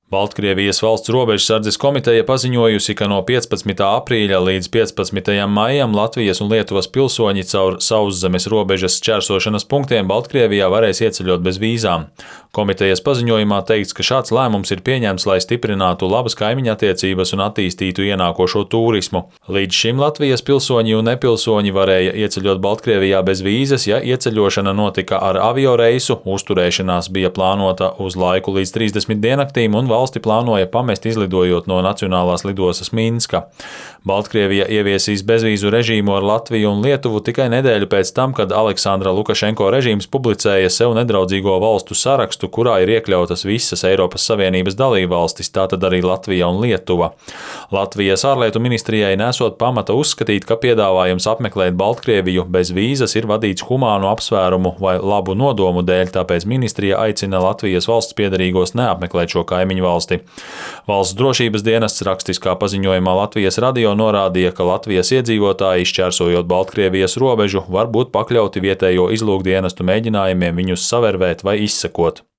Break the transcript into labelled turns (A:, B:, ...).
A: Baltkrievijas valsts robežsardzes komiteja paziņojusi, ka no 15. aprīļa līdz 15. maijam Latvijas un Lietuvas pilsoņi caur sauszemes robežas šķērsošanas punktiem Baltkrievijā varēs ieceļot bez vīzām. Komitejas paziņojumā teikts, ka šāds lēmums ir pieņemts, lai stiprinātu labas kaimiņu attiecības un attīstītu ienākošo turismu. Līdz šim Latvijas pilsoņi un nepilsoņi varēja ieceļot Baltkrievijā bez vīzas, ja ieceļošana notika ar avioreisu, uzturēšanās bija plānota uz laiku līdz 30 diennaktīm un valsti plānoja pamest izlidojot no nacionālās lidostas Minska. Baltkrievija ieviesīs bezvīzu režīmu ar Latviju un Lietuvu tikai nedēļu pēc tam, kad Aleksandra Lukašenko režīms publicēja sev nedraudzīgo valstu sarakstu, kurā ir iekļautas visas Eiropas Savienības dalībvalstis, tātad arī Latvija un Lietuva. Latvijas ārlietu ministrijai nesot pamata uzskatīt, ka piedāvājums apmeklēt Baltkrieviju bez vīzas ir vadīts humānu apsvērumu vai labu nodomu dēļ, tāpēc ministrija aicina Latvijas valsts piederīgos neapmeklēt šo kaimiņu valsti. Valsts drošības dienests rakstiskā paziņojumā Latvijas radio norādīja, ka Latvijas iedzīvotāji, šķērsojot Baltkrievijas robežu, var būt pakļauti vietējo izlūkdienestu mēģinājumiem viņus savervēt vai izsekot.